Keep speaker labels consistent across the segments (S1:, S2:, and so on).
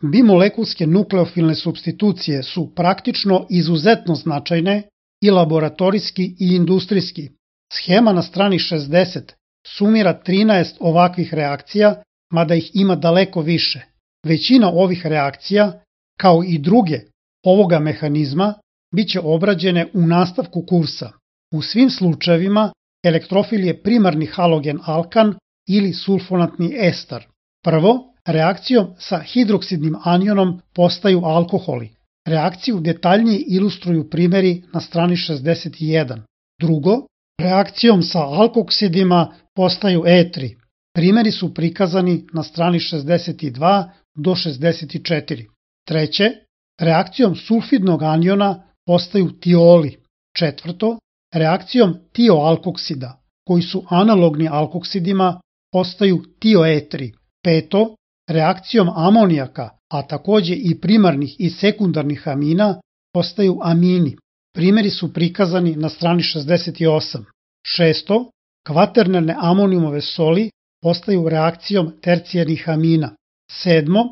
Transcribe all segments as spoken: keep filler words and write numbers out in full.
S1: Bimolekulske nukleofilne supstitucije su praktično izuzetno značajne i laboratorijski i industrijski. Schema na strani šezdeset sumira trinaest ovakvih reakcija, mada ih ima daleko više. Većina ovih reakcija, kao i druge ovoga mehanizma, bit će obrađene u nastavku kursa. U svim slučajevima elektrofil je primarni halogen alkan ili sulfonatni ester. Prvo, reakcijom sa hidroksidnim anionom postaju alkoholi. Reakciju detaljnije ilustruju primjeri na strani šezdeset jedan. Drugo, reakcijom sa alkoksidima postaju etri. Primjeri su prikazani na strani šezdeset dva do šezdeset četiri. Treće, reakcijom sulfidnog aniona postaju tioli. Četvrto, reakcijom tioalkoksida, koji su analogni alkoksidima, postaju tioetri. Peto, reakcijom amonijaka, a takođe i primarnih i sekundarnih amina, postaju amini. Primjeri su prikazani na strani šezdeset osam. Šesto, kvaternerne amonijumove soli postaju reakcijom tercijarnih amina. Sedmo,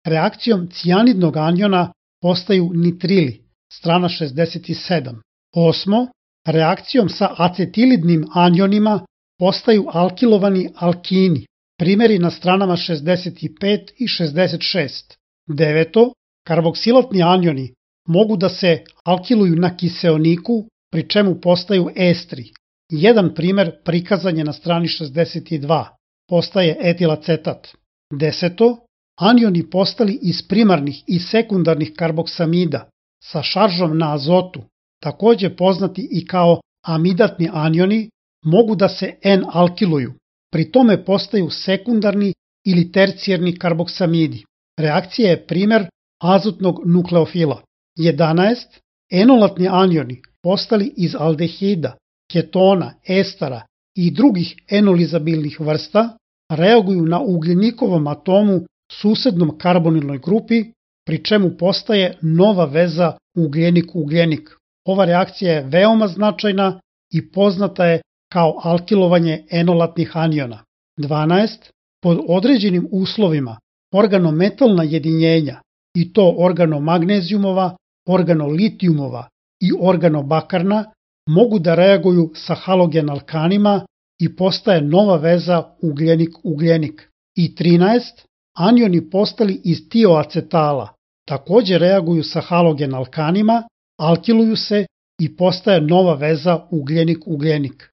S1: reakcijom cijanidnog aniona postaju nitrili, strana šezdeset sedam. Osmo, reakcijom sa acetilidnim anionima postaju alkilovani alkini. Primjeri na stranama šezdeset pet i šezdeset šest. Deveto, karboksilatni anioni mogu da se alkiluju na kiseoniku, pri čemu postaju estri. Jedan primjer prikazan je na strani šezdeset dva. Postaje etilacetat. Deseto, anioni postali iz primarnih i sekundarnih karboksamida sa šaržom na azotu, takođe poznati i kao amidatni anioni, mogu da se N-alkiluju. Pri tome postaju sekundarni ili tercijarni karboksamidi. Reakcija je primjer azotnog nukleofila. jedanaest. Enolatni anioni postali iz aldehida, ketona, estera i drugih enolizabilnih vrsta reaguju na ugljenikovom atomu susednom karbonilnoj grupi, pri čemu postaje nova veza ugljenik-ugljenik. Ova reakcija je veoma značajna i poznata je kao alkilovanje enolatnih aniona. dvanaest. Pod određenim uslovima organometalna jedinjenja, i to organomagnezijumova, organolitijumova i organobakarna, mogu da reaguju sa halogen alkanima i postaje nova veza ugljenik-ugljenik. I trinaest. Anioni postali iz tioacetala takođe reaguju sa halogen alkanima, alkiluju se i postaje nova veza ugljenik-ugljenik.